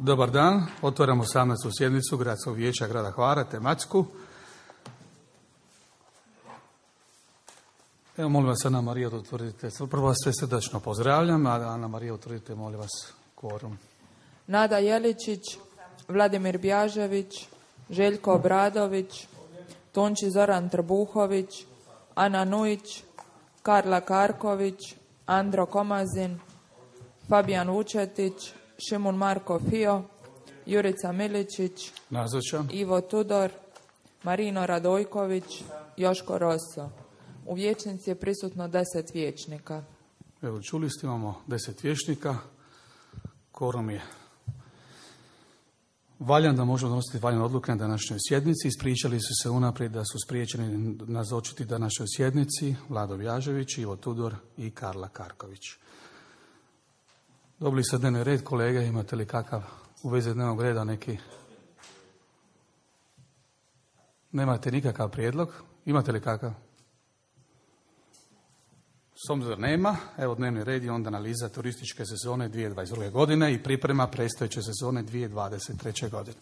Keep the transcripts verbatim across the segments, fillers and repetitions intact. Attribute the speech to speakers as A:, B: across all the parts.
A: Dobar dan, otvaramo osamnaestu sjednicu Gradskog vijeća grada Hvara, tematsku. Evo, molim vas, Ana Marija, da utvrdite. Prvo vas sve srdačno pozdravljam, a Ana Marija, utvrdite, molim vas, kvorum.
B: Nada Jeličić, Vladimir Bjažević, Željko Obradović, Tonči Zoran Trbuhović, Ana Nujić, Karla Karković, Andro Komazin, Fabijan Vučetić, Šimun Marko Fio, Jurica Miličić,
A: Nazočan.
B: Ivo Tudor, Marino Radojković, Joško Rosso. U vijećnici je prisutno deset vijećnika.
A: Evo, čuli ste, imamo deset vijećnika. Kvorum je valjan da možemo donositi valjane odluke na današnjoj sjednici. Ispričali su se unaprijed da su spriječeni nazočiti današnjoj sjednici Vlado Bjažević, Ivo Tudor i Karla Karković. Dobili ste dnevni red, kolege, imate li kakav u vezi dnevnog reda neki? Nemate nikakav prijedlog? Imate li kakav? S obzirom nema, evo dnevni red je onda analiza turističke sezone dvije tisuće dvadeset druge. godine i priprema predstojeće sezone dvije tisuće dvadeset treće. godine.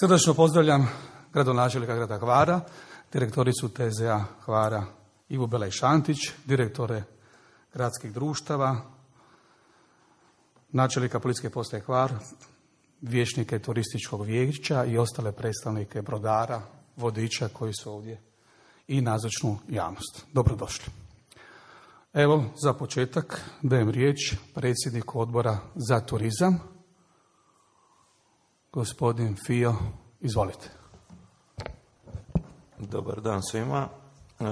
A: Srdačno pozdravljam gradonačelnika grada Hvara, direktoricu T Z A Hvara Ivu Belej-Šantić, direktore gradskih društava, načelnika policijske postaje Hvar, vijećnike turističkog vijeća i ostale predstavnike brodara, vodiča koji su ovdje i nazočnu javnost. Dobrodošli. Evo, za početak dajem riječ predsjedniku odbora za turizam, gospodin Fio, izvolite.
C: Dobar dan svima. E,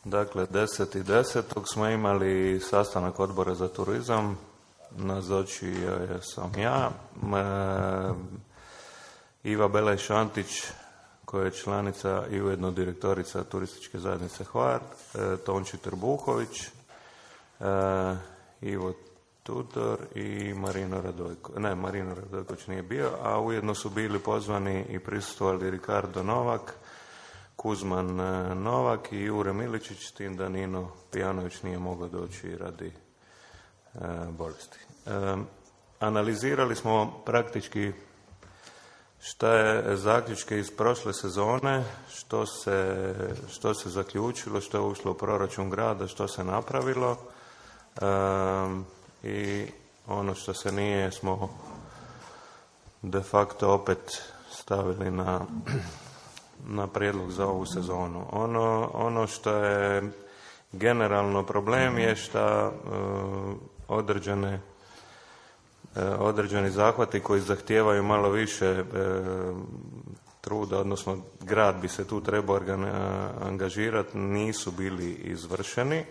C: dakle, deset desetog smo imali sastanak odbora za turizam, nazočio sam ja, e, Iva Belej-Šantić, koja je članica i ujedno direktorica turističke zajednice Hvar, e, Tonči Trbuhović, e, Ivo Tudor i Marino Radojković. Ne, Marino Radojković nije bio, a ujedno su bili pozvani i prisustvovali Ricardo Novak, Kuzman Novak i Jure Miličić, s tim da Nino Pijanović nije mogao doći radi e, bolesti. E, analizirali smo praktički šta je zaključke iz prošle sezone, što se, što se zaključilo, što je ušlo u proračun grada, što se napravilo e, i ono što se nije smo de facto opet stavili na, na prijedlog za ovu sezonu. Ono, ono što je generalno problem je što e, određene određeni zahvati koji zahtijevaju malo više e, truda, odnosno grad bi se tu trebao angažirati, nisu bili izvršeni e,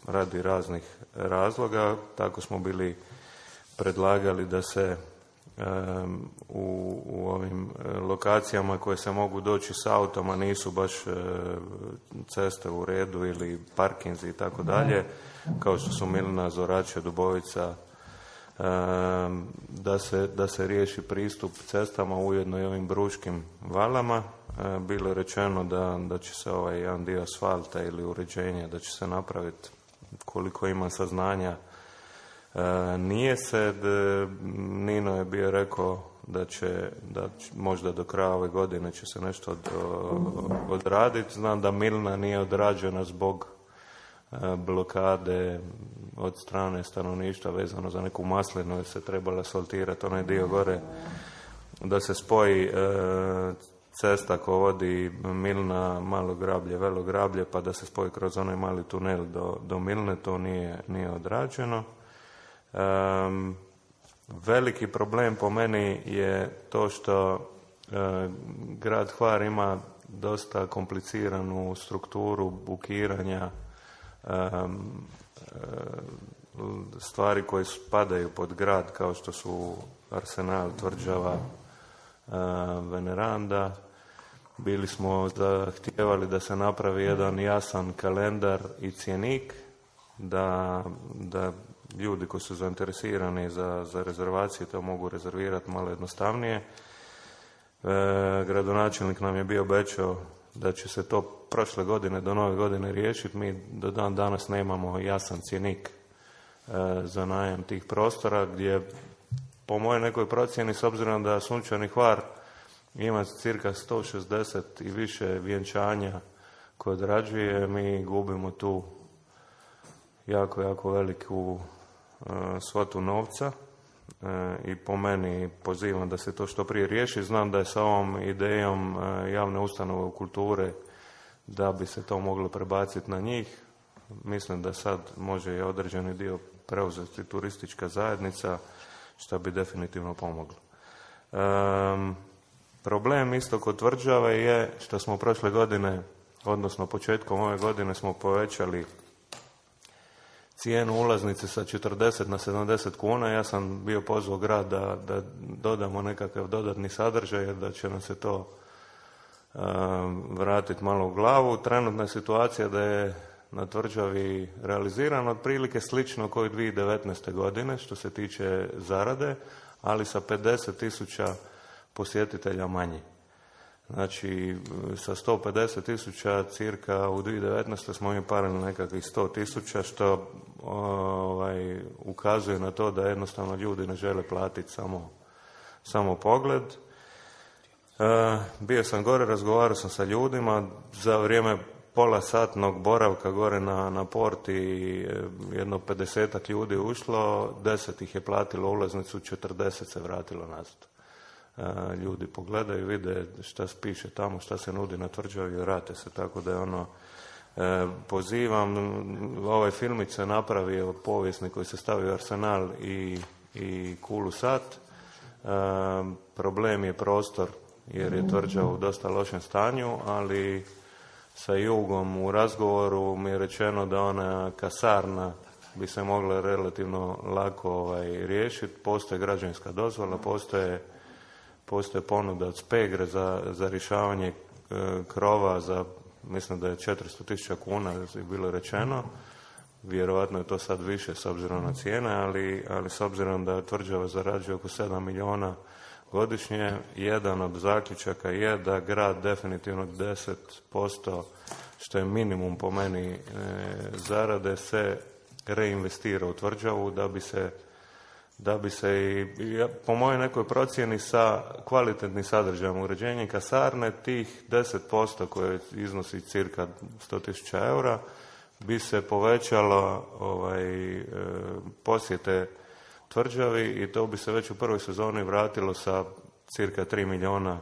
C: radi raznih razloga. Tako smo bili predlagali da se e, u, u ovim lokacijama koje se mogu doći s autom, a nisu baš e, ceste u redu ili parkinzi i tako dalje, kao što su Milna, Zorače, Dubovica, da se, da se riješi pristup cestama, ujedno i ovim Bruškim valama. Bilo je rečeno da, da će se ovaj jedan dio asfalta ili uređenja da će se napraviti, koliko ima saznanja. Nije se, Nino je bio rekao da će, da će možda do kraja ove godine će se nešto od, odraditi. Znam da Milna nije odrađena zbog blokade od strane stanovništva vezano za neku maslinu, jer se trebala asfaltirati onaj dio gore, da se spoji e, cesta koja vodi Milna, Malo Grablje, Velo Grablje, pa da se spoji kroz onaj mali tunel do, do Milne, to nije, nije odrađeno. E, veliki problem po meni je to što e, grad Hvar ima dosta kompliciranu strukturu bukiranja stvari koje spadaju pod grad, kao što su Arsenal, Tvrđava, Veneranda. Bili smo zahtijevali da se napravi jedan jasan kalendar i cjenik, da, da ljudi koji su zainteresirani za, za rezervacije to mogu rezervirati malo jednostavnije. E, gradonačelnik nam je bio obećao da će se to prošle godine do nove godine riješiti. Mi do dan danas nemamo jasan cjenik za najam tih prostora, gdje po mojoj nekoj procjeni, s obzirom da Sunčani Hvar ima cirka sto šezdeset i više vjenčanja koje odrađuje, mi gubimo tu jako, jako veliku uh, svotu novca uh, i po meni pozivam da se to što prije riješi. Znam da je sa ovom idejom uh, javne ustanove kulture da bi se to moglo prebaciti na njih. Mislim da sad može i određeni dio preuzeti turistička zajednica, što bi definitivno pomoglo. Um, problem isto kod tvrđave je što smo prošle godine, odnosno početkom ove godine, smo povećali cijenu ulaznice sa četrdeset na sedamdeset kuna. Ja sam bio pozvao grad da, da dodamo nekakav dodatni sadržaj, jer da će nam se to um, vratiti malo u glavu. Trenutna je situacija da je na tvrđavi realizirano otprilike slično kao i dvije tisuće devetnaeste. godine što se tiče zarade, ali sa pedeset tisuća posjetitelja manje. Znači, sa sto pedeset tisuća cirka u dvije tisuće devetnaeste. smo mi parili nekakvih sto tisuća, što ovaj, ukazuje na to da jednostavno ljudi ne žele platiti samo, samo pogled. E, bio sam gore, razgovarao sam sa ljudima za vrijeme pola satnog boravka gore na, na porti, jedno pedesetak ljudi ušlo, deset ih je platilo ulaznicu, četrdeset se vratilo nazad. E, ljudi pogledaju, vide šta piše tamo, šta se nudi na tvrđavi i vrate se, tako da je ono, e, pozivam, ovaj filmić se napravio povijesni koji se stavio u Arsenal i, i Kulu sat. E, problem je prostor, jer je tvrđava u dosta lošem stanju, ali sa Jugom u razgovoru mi je rečeno da ona kasarna bi se mogla relativno lako ovaj, riješiti. Postoje građevinska dozvola, postoje, postoje ponuda od Spegre za, za rješavanje e, krova za, mislim da je četiristo tisuća kuna je bilo rečeno. Vjerojatno je to sad više s obzirom na cijene, ali, ali s obzirom da tvrđava zarađuje oko sedam milijuna godišnje, jedan od zaključaka je da grad definitivno deset posto, što je minimum po meni e, zarade, se reinvestira u tvrđavu da bi se, da bi se i, po mojoj nekoj procjeni, sa kvalitetnim sadržajem uređenja kasarne, tih deset posto koje iznosi cirka sto tisuća eura, bi se povećalo ovaj, e, posjete tvrđavi i to bi se već u prvoj sezoni vratilo sa cirka tri milijuna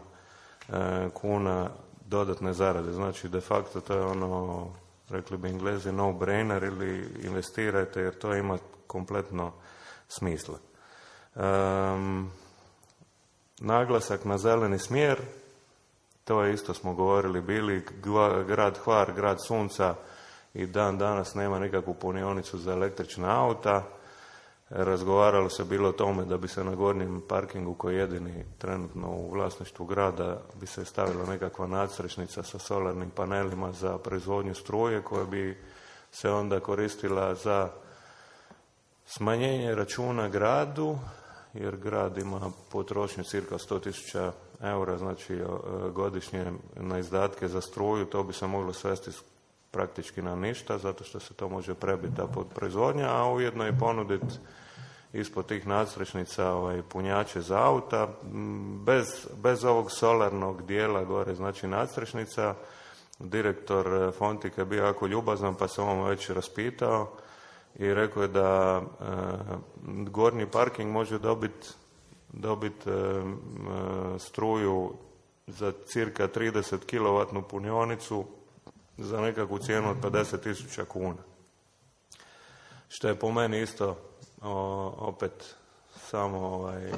C: e, kuna dodatne zarade. Znači, de facto to je ono, rekli bi Englezi, no-brainer, ili investirajte jer to ima kompletno smisla. Um, naglasak na zeleni smjer, to je isto smo govorili bili, grad Hvar, grad sunca, i dan danas nema nikakvu punionicu za električna auta. Razgovaralo se bilo o tome da bi se na gornjem parkingu, koji je jedini trenutno u vlasništvu grada, bi se stavila nekakva nadstrešnica sa solarnim panelima za proizvodnju struje, koja bi se onda koristila za smanjenje računa gradu, jer grad ima potrošnju cirka sto tisuća eura, znači godišnje na izdatke za struju. To bi se moglo svesti praktički na ništa, zato što se to može prebiti ta proizvodnja, a ujedno i ponuditi ispod tih nadstrešnica ovaj, punjače za auta. Bez, bez ovog solarnog dijela gore, znači nadstrešnica, direktor Fontika je bio jako ljubazan, pa se on već raspitao i rekao je da e, gornji parking može dobiti dobit, e, struju za cirka trideset kilovatnu punionicu za nekakvu cijenu od pedeset tisuća kuna. Što je po meni isto o, opet samo, ovaj,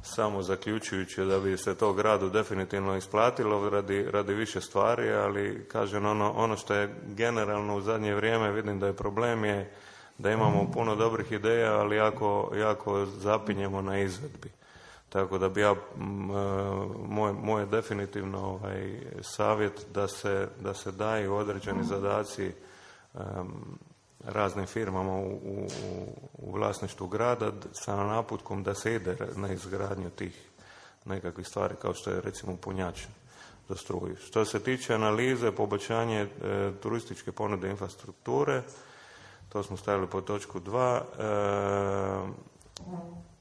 C: samo zaključujući da bi se to gradu definitivno isplatilo radi, radi više stvari, ali kažem, ono, ono što je generalno u zadnje vrijeme vidim da je problem je da imamo puno dobrih ideja, ali jako, jako zapinjemo na izvedbi. Tako da bi ja, moj, moj je definitivno ovaj, savjet da se, da se daju određeni zadaci um, raznim firmama u, u, u vlasništvu grada sa naputkom da se ide na izgradnju tih nekakvih stvari, kao što je recimo punjač za struju. Što se tiče analize, poboljšanje e, turističke ponude infrastrukture, To smo stavili pod točku dva. E,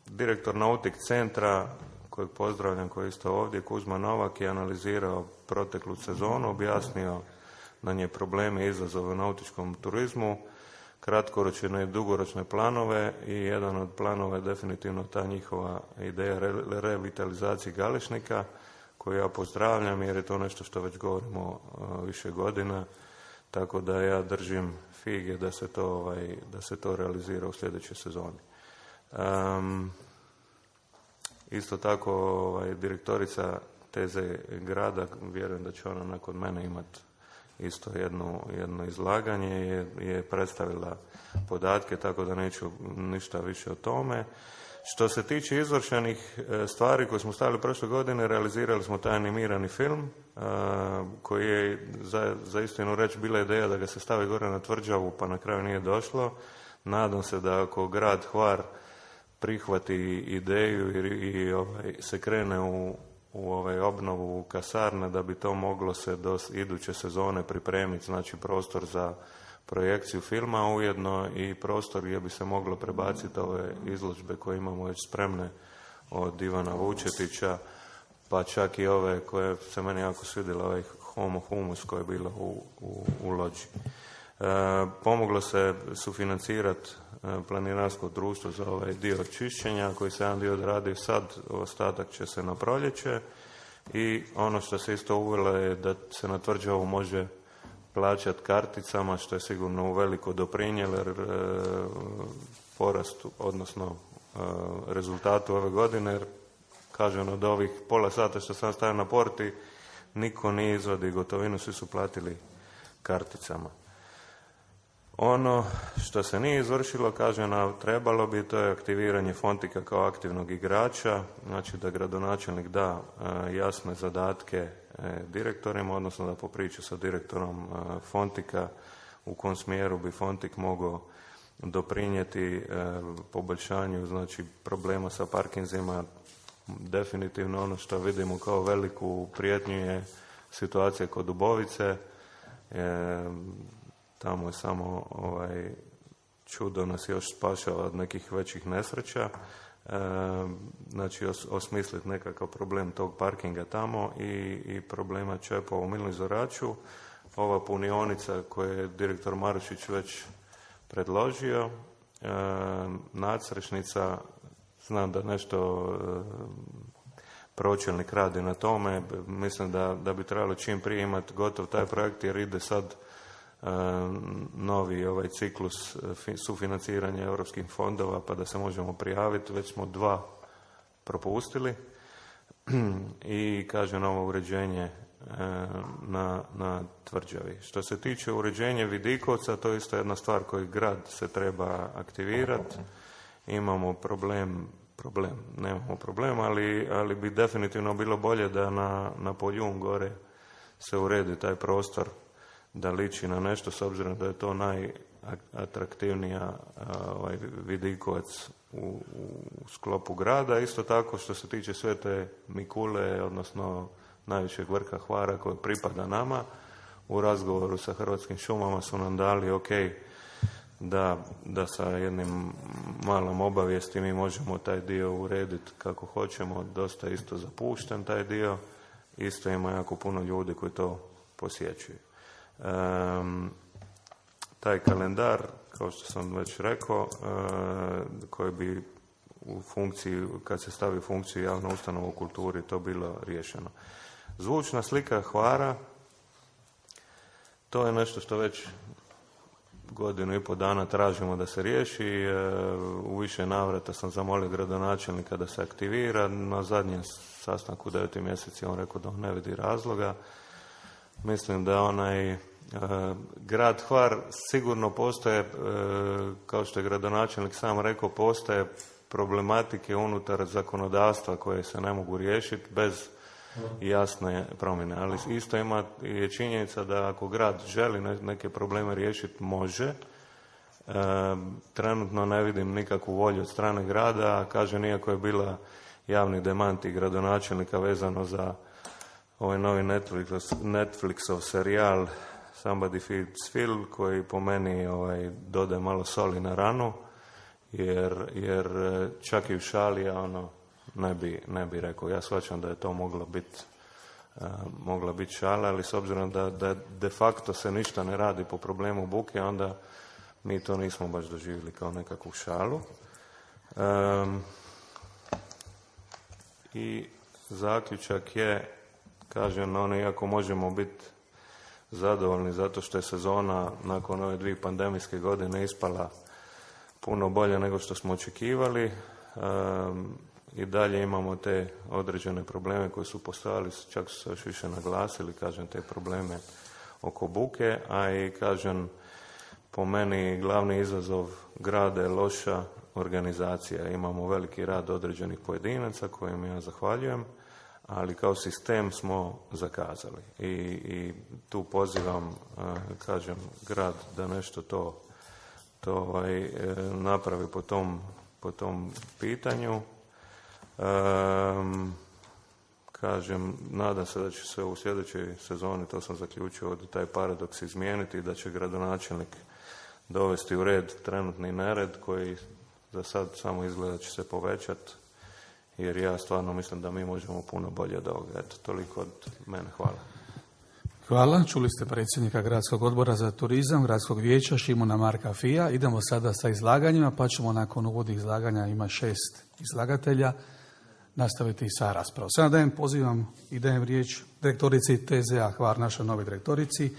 C: direktor Nautik centra, kojeg pozdravljam, koji je isto ovdje, Kuzma Novak, je analizirao proteklu sezonu, objasnio na nje probleme i izazove u nautičkom turizmu, kratkoročne i dugoročne planove, i jedan od planova je definitivno ta njihova ideja re- revitalizacije Galešnika, koju ja pozdravljam jer je to nešto što već govorimo uh, više godina, tako da ja držim fige da se to, ovaj, da se to realizira u sljedećoj sezoni. Um, isto tako ovaj, direktorica Teze grada, vjerujem da će ona nakon mene imati isto jedno, jedno izlaganje, je, je predstavila podatke, tako da neću ništa više o tome. Što se tiče izvršenih stvari koje smo stavili prošle godine, realizirali smo taj animirani film, koji je, za, za istinu reći, bila ideja da ga se stavi gore na tvrđavu, pa na kraju nije došlo. Nadam se da ako grad Hvar prihvati ideju i, i ovaj, se krene u, u ovaj obnovu kasarne, da bi to moglo se do iduće sezone pripremiti, znači prostor za projekciju filma, a ujedno i prostor gdje bi se moglo prebaciti ove izložbe koje imamo već spremne od Ivana Vučetića, pa čak i ove koje se meni jako svidjela, ovaj Homo Humus koja je bila u, u, u lođi. E, pomoglo se sufinancirati planinarsko društvo za ovaj dio čišćenja, koji se jedan dio odradio sad, ostatak će se na proljeće, i ono što se isto uvelo je da se na tvrđavu može plaćati karticama, što je sigurno uveliko doprinijelo e, porastu, odnosno e, rezultatu ove godine, jer kažem, od ovih pola sata što sam stavio na porti, niko nije izvadi gotovinu, svi su platili karticama. Ono što se nije izvršilo, kažem, a trebalo bi, to je aktiviranje Fontika kao aktivnog igrača, znači da gradonačelnik da e, jasne zadatke e, direktorima, odnosno da popriča sa direktorom e, Fontika u kom smjeru bi Fontik mogao doprinijeti e, poboljšanju, znači, problema sa parkinzima. Definitivno ono što vidimo kao veliku prijetnju je situacija kod Dubovice. E, Tamo je samo ovaj, čudo nas još spašava od nekih većih nesreća. E, znači os, osmisliti nekakav problem tog parkinga tamo i, i problema čepova u Milnom Zoraču. Ova punionica koju je direktor Marušić već predložio, e, nadsrešnica, znam da nešto e, pročelnik radi na tome, mislim da, da bi trebalo čim prije imati gotov taj projekt, jer ide sad novi ovaj ciklus sufinanciranja europskih fondova, pa da se možemo prijaviti. Već smo dva propustili i, kažem, ovo uređenje na, na tvrđavi. Što se tiče uređenja Vidikovca, to je isto jedna stvar koju grad se treba aktivirati. Imamo problem, problem, nemamo problem, ali, ali bi definitivno bilo bolje da na, na Poljun gore se uredi taj prostor, da liči na nešto, s obzirom da je to najatraktivnija ovaj, Vidikovac u, u sklopu grada. Isto tako što se tiče Svete Mikule, odnosno najvišeg vrha Hvara koji pripada nama, u razgovoru sa Hrvatskim šumama su nam dali ok da, da sa jednim malom obavijesti mi možemo taj dio urediti kako hoćemo. Dosta isto zapušten taj dio, isto ima jako puno ljudi koji to posjećuju. Um, taj kalendar, kao što sam već rekao, uh, koji bi u funkciji, kad se stavi u funkciju javna ustanova u kulturi, to bilo riješeno. Zvučna slika Hvara, to je nešto što već godinu i pol dana tražimo da se riješi. Uh, u više navrata sam zamolio gradonačelnika da se aktivira. Na zadnjem sastanku u deveti mjeseci on rekao da on ne vidi razloga. Mislim da onaj e, grad Hvar sigurno postoje, e, kao što je gradonačelnik sam rekao, postoje problematike unutar zakonodavstva koje se ne mogu riješiti bez jasne promjene. Ali isto ima je činjenica da ako grad želi neke probleme riješiti, može. E, trenutno ne vidim nikakvu volju od strane grada, a kažem, iako je bila javni demanti gradonačelnika vezano za ovaj novi Netflix, Netflixov serijal Somebody Feeds Phil, koji po meni ovaj, dodaje malo soli na ranu, jer, jer čak i u šali ja ono ne bi, ne bi rekao. Ja shvaćam da je to moglo biti uh, mogla biti šala, ali s obzirom da, da de facto se ništa ne radi po problemu buke, onda mi to nismo baš doživjeli kao nekakvu šalu. Um, I zaključak je, kažem, ono, iako možemo biti zadovoljni zato što je sezona nakon ove dvije pandemijske godine ispala puno bolje nego što smo očekivali, um, i dalje imamo te određene probleme koji su postojali, čak su se još više naglasili, kažem, te probleme oko buke, a i, kažem, po meni glavni izazov grada je loša organizacija. Imamo veliki rad određenih pojedinaca kojim ja zahvaljujem, ali kao sistem smo zakazali. I, i tu pozivam, kažem, grad da nešto to, to ovaj, napravi po tom, po tom pitanju. Um, kažem, nadam se da će se u sljedećoj sezoni, to sam zaključio, da taj paradoks izmijeniti i da će gradonačelnik dovesti u red trenutni nered koji za sad samo izgleda će se povećati, jer ja stvarno mislim da mi možemo puno bolje od ovoga. Eto, toliko od mene. Hvala.
A: Hvala. Čuli ste predsjednika Gradskog odbora za turizam, Gradskog vijeća Šimuna Marka Fija. Idemo sada sa izlaganjima, pa ćemo nakon uvodnih izlaganja, ima šest izlagatelja, nastaviti sa raspravom. Sada dajem, pozivam i dajem riječ direktorici T Z A Hvar, našoj novoj direktorici,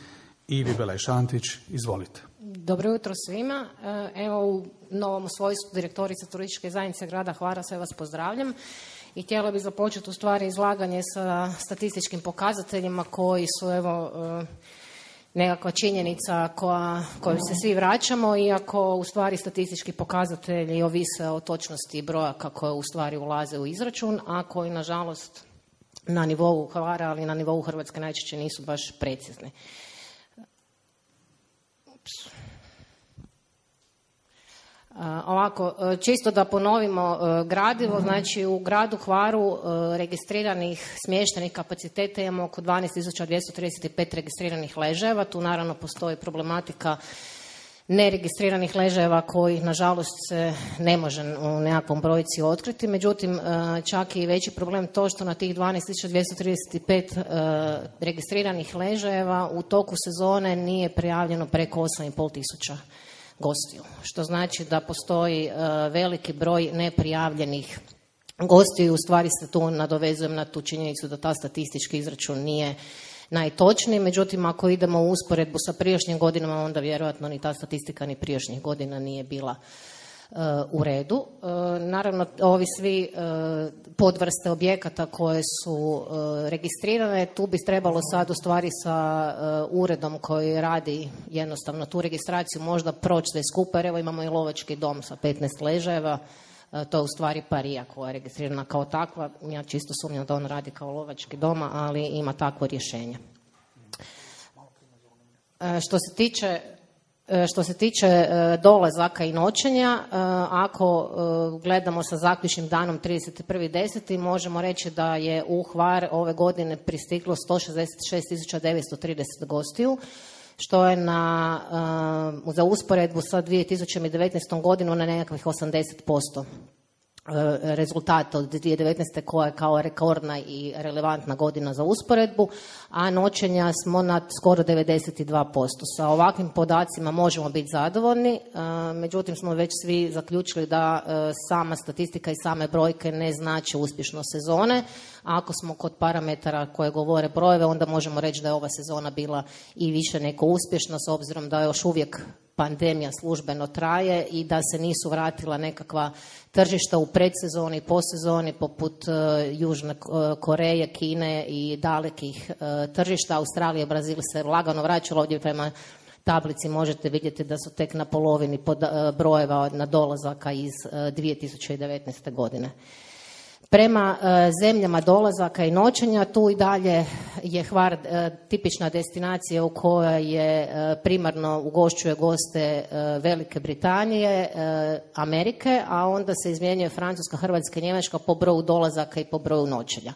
A: Ivi Belaj-Šantić. Izvolite.
D: Dobro jutro svima. Evo, u novom svojstvu direktorice turističke zajednice grada Hvara sve vas pozdravljam i htjela bih započeti u stvari izlaganje sa statističkim pokazateljima koji su evo nekakva činjenica koja, koju se svi vraćamo, iako u stvari statistički pokazatelji ovise o točnosti brojaka koje u stvari ulaze u izračun, a koji nažalost na nivou Hvara, ali na nivou Hrvatske najčešće nisu baš precizni. Uh, ovako, čisto da ponovimo uh, gradivo, znači u gradu Hvaru uh, registriranih smještajnih kapaciteta imamo oko dvanaest tisuća dvjesto trideset pet registriranih ležajeva. Tu naravno postoji problematika neregistriranih ležajeva koji nažalost se ne može u nekakvom brojci otkriti. Međutim, uh, čak i veći problem to što na tih dvanaest tisuća dvjesto trideset pet uh, registriranih ležajeva u toku sezone nije prijavljeno preko osam i pol tisuća gostiju, što znači da postoji uh, veliki broj neprijavljenih gostiju. U stvari se tu nadovezujem na tu činjenicu da ta statistički izračun nije najtočniji, međutim ako idemo u usporedbu sa prijašnjim godinama, onda vjerojatno ni ta statistika ni prijašnjih godina nije bila uh, u redu. Uh, naravno, ovi svi uh, podvrste objekata koje su uh, registrirane, tu bi trebalo sad u stvari sa uh, uredom koji radi jednostavno tu registraciju možda proći sve skupa, jer evo imamo i lovački dom sa petnaest ležajeva, uh, to je u stvari Parija koja je registrirana kao takva. Ja čisto sumnjam da on radi kao lovački doma, ali ima takvo rješenje. Uh, što se tiče Što se tiče dolazaka i noćenja, ako gledamo sa zaključnim danom trideset prvi deseti možemo reći da je u Hvar ove godine pristiglo sto šezdeset šest tisuća devetsto trideset gostiju, što je na, za usporedbu sa dvije tisuće devetnaestom godinom na nekakvih osamdeset posto rezultata od dvije tisuće devetnaeste koja je kao rekordna i relevantna godina za usporedbu, a noćenja smo na skoro devedeset dva posto. Sa ovakvim podacima možemo biti zadovoljni, međutim smo već svi zaključili da sama statistika i same brojke ne znače uspješno sezone. A ako smo kod parametara koje govore brojeve, onda možemo reći da je ova sezona bila i više nego uspješna, s obzirom da još uvijek pandemija službeno traje i da se nisu vratila nekakva tržišta u predsezoni i posezoni poput uh, Južne Koreje, Kine i dalekih uh, tržišta. Australija, Brazil se lagano vraćalo. Ovdje prema tablici možete vidjeti da su tek na polovini pod, uh, brojeva na dolazaka iz uh, dvije tisuće devetnaeste godine. Prema uh, zemljama dolazaka i noćenja, tu i dalje je Hvar uh, tipična destinacija u kojoj je uh, primarno ugošćuje goste uh, Velike Britanije, uh, Amerike, a onda se izmjenjuje Francuska, Hrvatska i Njemačka po broju dolazaka i po broju noćenja.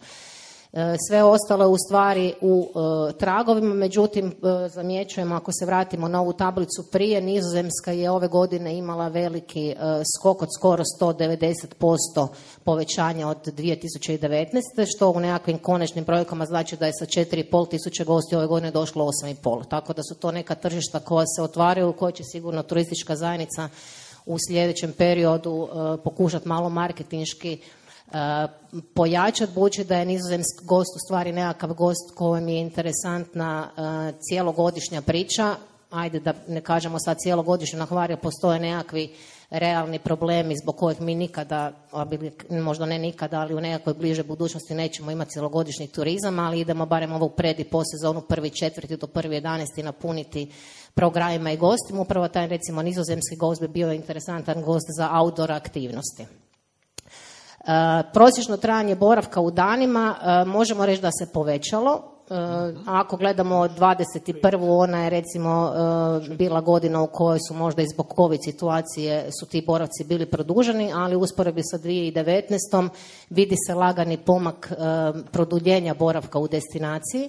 D: Sve ostalo je u stvari u e, tragovima, međutim e, zamjećujemo, ako se vratimo na ovu tablicu prije, Nizozemska je ove godine imala veliki e, skok od skoro sto devedeset posto povećanja od dvije tisuće devetnaeste. što u nekakvim konačnim brojkama znači da je sa četiri i pol tisuće gosti ove godine došlo osam i pol. Tako da su to neka tržišta koja se otvaraju, koja će sigurno turistička zajednica u sljedećem periodu e, pokušati malo marketinški Uh, pojačati, budući da je nizozemski gost u stvari nekakav gost kojem je interesantna uh, cijelogodišnja priča. Ajde da ne kažemo sad cijelogodišnju, na Hvaru postoje nekakvi realni problemi zbog kojih mi nikada, možda ne nikada, ali u nekakvoj bliže budućnosti nećemo imati cijelogodišnji turizam, ali idemo barem ovu pred i posezonu prvi četvrti do prvi jedanaesti napuniti programima i gostima. Upravo taj recimo nizozemski gost bi bio interesantan gost za outdoor aktivnosti. Uh, prosječno trajanje boravka u danima uh, možemo reći da se povećalo. Uh, ako gledamo dvadeset prvu ona je recimo uh, bila godina u kojoj su možda i zbog COVID situacije su ti boravci bili produženi, ali u usporedbi sa dvije tisuće devetnaestom vidi se lagani pomak uh, produljenja boravka u destinaciji.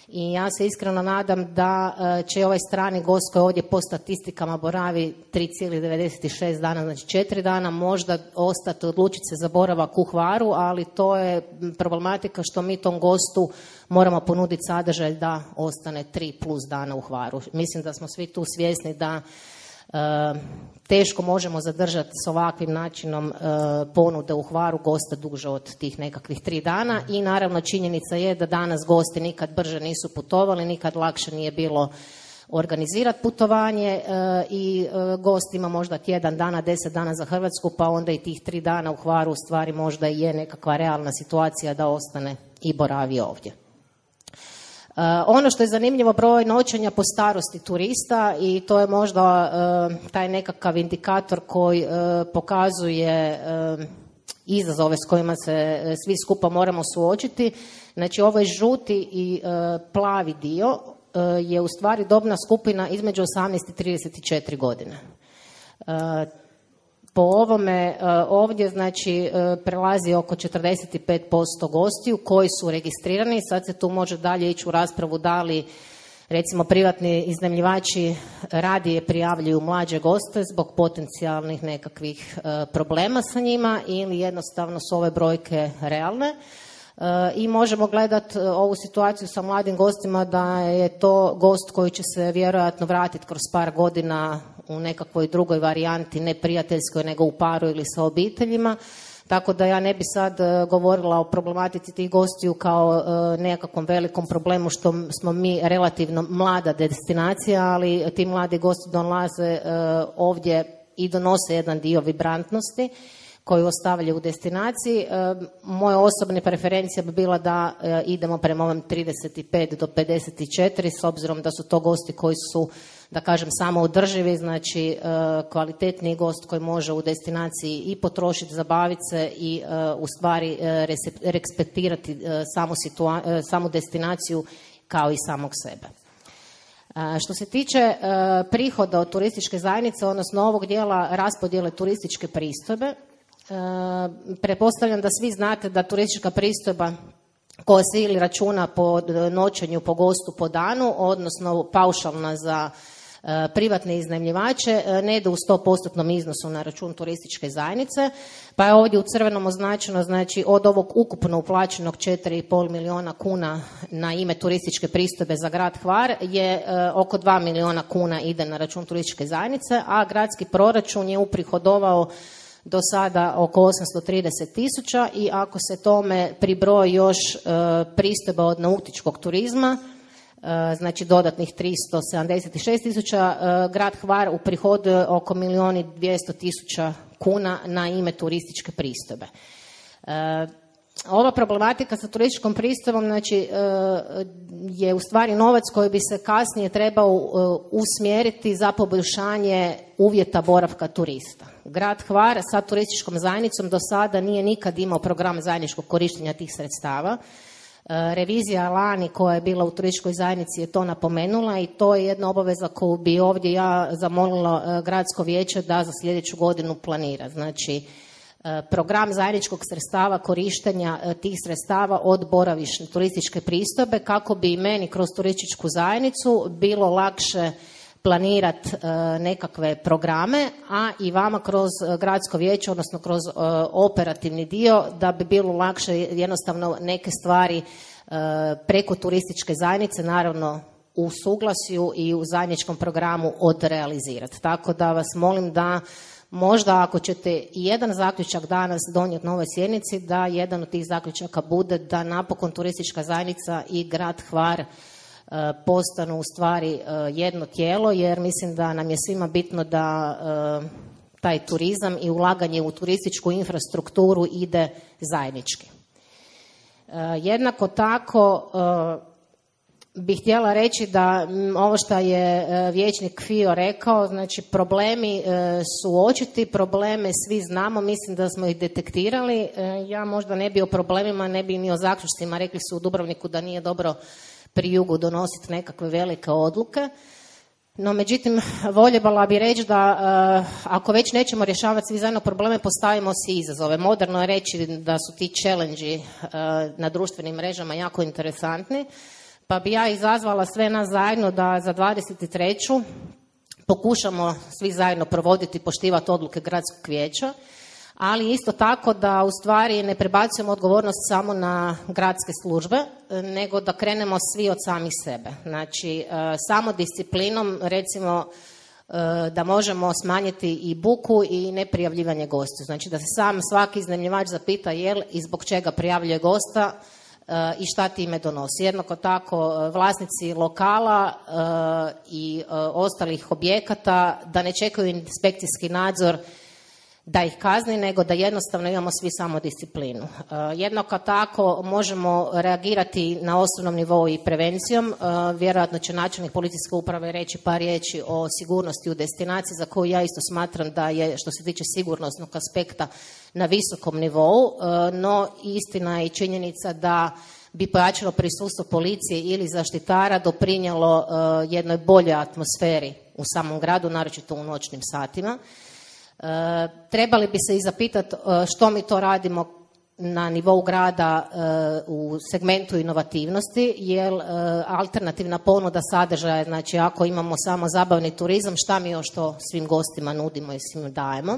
D: I ja se iskreno nadam da će ovaj strani gost koji ovdje po statistikama boravi tri zarez devedeset šest dana, znači četiri dana, možda ostati, odlučiti se za boravak u Hvaru, ali to je problematika što mi tom gostu moramo ponuditi sadržaj da ostane tri plus dana u Hvaru. Mislim da smo svi tu svjesni da Uh, teško možemo zadržati s ovakvim načinom uh, ponude u Hvaru gosta duže od tih nekakvih tri dana i naravno činjenica je da danas gosti nikad brže nisu putovali, nikad lakše nije bilo organizirati putovanje uh, i uh, gost ima možda tjedan dana, deset dana za Hrvatsku, pa onda i tih tri dana u Hvaru u stvari možda i je nekakva realna situacija da ostane i boravi ovdje. Uh, ono što je zanimljivo, broj noćenja po starosti turista i to je možda uh, taj nekakav indikator koji uh, pokazuje uh, izazove s kojima se uh, svi skupa moramo suočiti. Znači ovaj žuti i uh, plavi dio uh, je u stvari dobna skupina između osamnaest i trideset četiri godine. Uh, Po ovome ovdje znači prelazi oko četrdeset pet posto gostiju koji su registrirani. Sad se tu može dalje ići u raspravu da li recimo privatni iznajmljivači radije prijavljuju mlađe goste zbog potencijalnih nekakvih problema sa njima ili jednostavno su ove brojke realne. I možemo gledati ovu situaciju sa mladim gostima da je to gost koji će se vjerojatno vratiti kroz par godina u nekakvoj drugoj varijanti, ne prijateljskoj nego u paru ili sa obiteljima. Tako da ja ne bi sad govorila o problematici tih gostiju kao nekakvom velikom problemu što smo mi relativno mlada destinacija, ali ti mladi gosti dolaze ovdje i donose jedan dio vibrantnosti koju ostavljaju u destinaciji. Moja osobna preferencija bi bila da idemo prema ovom trideset pet do pedeset četiri s obzirom da su to gosti koji su, da kažem, samo održivi, znači kvalitetniji gost koji može u destinaciji i potrošiti, zabaviti se i u stvari respektirati samu, situa- samu destinaciju kao i samog sebe. Što se tiče prihoda od turističke zajednice, odnosno ovog dijela raspodjele turističke pristojbe, pretpostavljam da svi znate da turistička pristojba koja se ili računa po noćenju, po gostu, po danu, odnosno paušalna za privatne iznajmljivače, ne ide u sto posto iznosu na račun turističke zajednice, pa je ovdje u crvenom označeno, znači od ovog ukupno uplaćenog četiri i pol milijuna kuna na ime turističke pristojbe za grad Hvar je oko dva milijuna kuna ide na račun turističke zajednice, a gradski proračun je uprihodovao do sada oko osamsto trideset tisuća i ako se tome pribroji još e, pristojba od nautičkog turizma, e, znači dodatnih tristo sedamdeset šest tisuća, e, grad Hvar uprihoduje oko milijun i dvjesto tisuća kuna na ime turističke pristojbe. E, ova problematika sa turističkom pristojbom znači, e, je u stvari novac koji bi se kasnije trebao e, usmjeriti za poboljšanje uvjeta boravka turista. Grad Hvar sa turističkom zajednicom do sada nije nikad imao program zajedničkog korištenja tih sredstava. Revizija lani koja je bila u turističkoj zajednici je to napomenula i to je jedna obaveza koju bi ovdje ja zamolila gradsko vijeće da za sljedeću godinu planira. Znači, program zajedničkog sredstava korištenja tih sredstava od boravišne turističke pristojbe kako bi i meni kroz turističku zajednicu bilo lakše planirati nekakve programe, a i vama kroz gradsko vijeće, odnosno kroz operativni dio, da bi bilo lakše jednostavno neke stvari preko turističke zajednice, naravno u suglasju i u zajedničkom programu odrealizirati. Tako da vas molim da možda ako ćete jedan zaključak danas donijeti na ovoj sjednici, da jedan od tih zaključaka bude da napokon turistička zajednica i grad Hvar postanu u stvari jedno tijelo, jer mislim da nam je svima bitno da taj turizam i ulaganje u turističku infrastrukturu ide zajednički. Jednako tako bih htjela reći da ovo što je vijećnik Fio rekao, znači problemi su očiti, probleme svi znamo, mislim da smo ih detektirali. Ja možda ne bi o problemima, ne bi ni o zaključcima, rekli su u Dubrovniku da nije dobro pri jugu donositi nekakve velike odluke. No, međutim, voljela bi reći da uh, ako već nećemo rješavati svi zajedno probleme, postavimo si izazove. Moderno je reći da su ti challenge uh, na društvenim mrežama jako interesantni, pa bi ja izazvala sve nas zajedno da za dvadeset treću pokušamo svi zajedno provoditi i poštivati odluke gradskog vijeća, ali isto tako da u stvari ne prebacujemo odgovornost samo na gradske službe, nego da krenemo svi od samih sebe. Znači, samo disciplinom, recimo, da možemo smanjiti i buku i neprijavljivanje gostiju. Znači, da se sam svaki iznajmljivač zapita jel i zbog čega prijavljuje gosta i šta time donosi. Jednako tako vlasnici lokala i ostalih objekata da ne čekaju inspekcijski nadzor da ih kazni, nego da jednostavno imamo svi samo disciplinu. Uh, jednako tako možemo reagirati na osnovnom nivou i prevencijom. Uh, vjerojatno će načelnik policijske uprave reći par riječi o sigurnosti u destinaciji, za koju ja isto smatram da je, što se tiče sigurnosnog aspekta, na visokom nivou, uh, no istina je i činjenica da bi pojačalo prisustvo policije ili zaštitara doprinijelo uh, jednoj boljoj atmosferi u samom gradu, naročito u noćnim satima. E, trebali bi se i zapitati što mi to radimo na nivou grada e, u segmentu inovativnosti, jer e, alternativna ponuda sadržaja, znači ako imamo samo zabavni turizam, šta mi još to svim gostima nudimo i svim dajemo.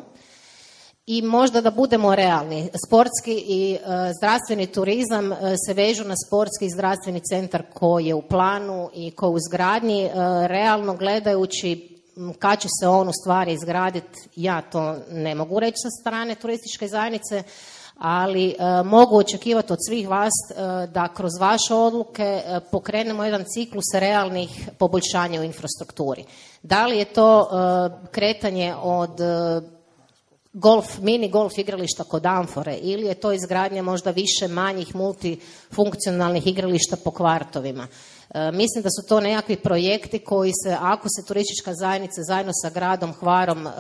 D: I možda da budemo realni, sportski i e, zdravstveni turizam e, se vežu na sportski i zdravstveni centar koji je u planu i koji je u izgradnji. E, realno gledajući kad će se on u stvari izgraditi, ja to ne mogu reći sa strane turističke zajednice, ali e, mogu očekivati od svih vas e, da kroz vaše odluke e, pokrenemo jedan ciklus realnih poboljšanja u infrastrukturi. Da li je to e, kretanje od e, golf, mini golf igrališta kod Amfore ili je to izgradnja možda više manjih multifunkcionalnih igrališta po kvartovima. E, mislim da su to nekakvi projekti koji se, ako se turistička zajednica zajedno sa gradom Hvarom e,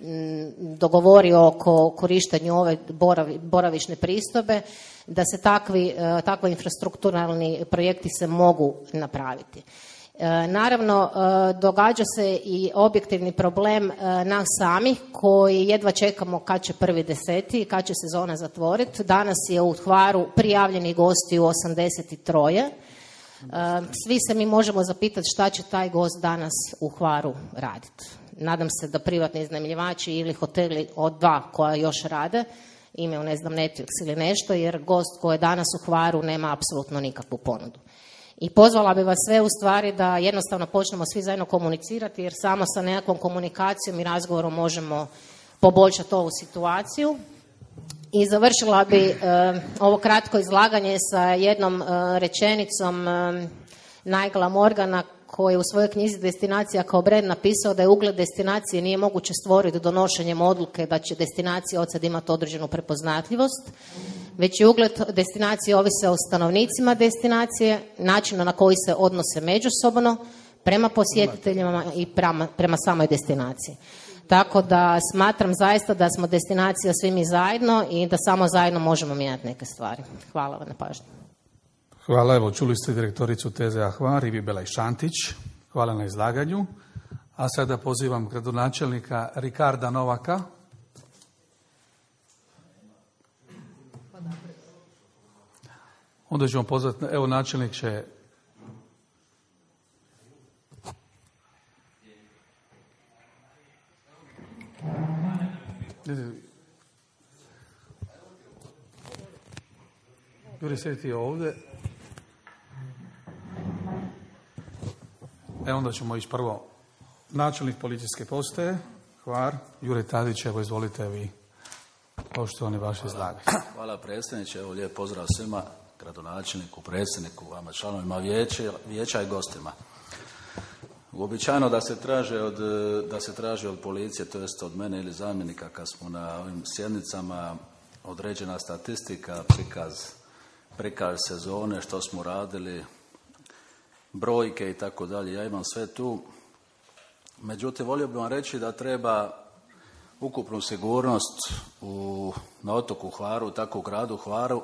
D: m, dogovori oko korištenju ove boravi, boravišne pristojbe, da se takvi, e, takvi infrastrukturalni projekti se mogu napraviti. E, naravno, e, događa se i objektivni problem e, nas samih koji jedva čekamo kad će prvi deseti i kad će sezona zatvoriti. Danas je u Hvaru prijavljeni gosti u osamdeset tri. E, svi se mi možemo zapitati šta će taj gost danas u Hvaru raditi. Nadam se da privatni iznajmljivači ili hoteli od dva koja još rade imaju, ne znam, Netflix ili nešto, jer gost koji je danas u Hvaru nema apsolutno nikakvu ponudu. I pozvala bi vas sve u stvari da jednostavno počnemo svi zajedno komunicirati, jer samo sa nekakvom komunikacijom i razgovorom možemo poboljšati ovu situaciju. I završila bi e, ovo kratko izlaganje sa jednom e, rečenicom e, Nigela Morgana, koji je u svojoj knjizi Destinacija kao brend napisao da je ugled destinacije nije moguće stvoriti donošenjem odluke da će destinacija od sad imati određenu prepoznatljivost, već je ugled destinacije ovise o stanovnicima destinacije, načinu na koji se odnose međusobno, prema posjetiteljima i prema, prema samoj destinaciji. Tako da smatram zaista da smo destinacija svi mi zajedno i da samo zajedno možemo mijenjati neke stvari. Hvala vam na pažnju.
A: Hvala, evo čuli ste direktoricu T Z A Hvar Ivi Belaj-Šantić. Hvala na izlaganju. A sada pozivam gradonačelnika Ricarda Novaka. Onda ćemo pozvati, evo načelnik će... Juri, sjedi ti ovdje. E onda ćemo ići prvo. Načelnik policijske postaje, Hvar, Jure Tadić, evo izvolite vi, poštovani vaše izlaganje.
E: Hvala predsjedniče, evo lijep pozdrav svima, gradonačelniku, predsjedniku, vama članovima vijeća, vijeća i gostima. Uobičajeno da se traže od, da se traži od policije, to jest od mene ili zamjenika, kad smo na ovim sjednicama, određena statistika, prikaz, prikaz sezone, što smo radili, brojke i tako dalje. Ja imam sve tu. Međutim, volio bih vam reći da treba ukupnu sigurnost u, na otoku Hvaru, tako u gradu Hvaru,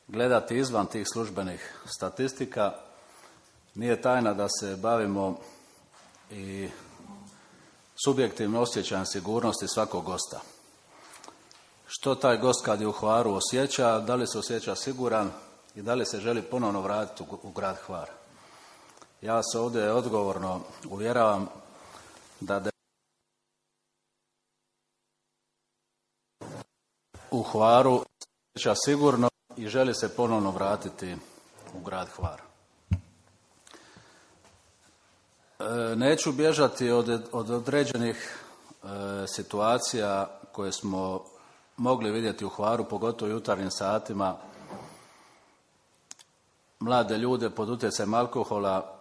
E: gledati izvan tih službenih statistika. Nije tajna da se bavimo i subjektivno osjećajem sigurnosti svakog gosta. Što taj gost kad je u Hvaru osjeća, da li se osjeća siguran i da li se želi ponovno vratiti u, u grad Hvar. Ja se ovdje odgovorno uvjeravam da de... u Hvaru osjeća sigurno i želi se ponovno vratiti u grad Hvar. E, neću bježati od, od određenih e, situacija koje smo mogli vidjeti u Hvaru, pogotovo u jutarnjim satima. Mlade ljude pod utjecajem alkohola,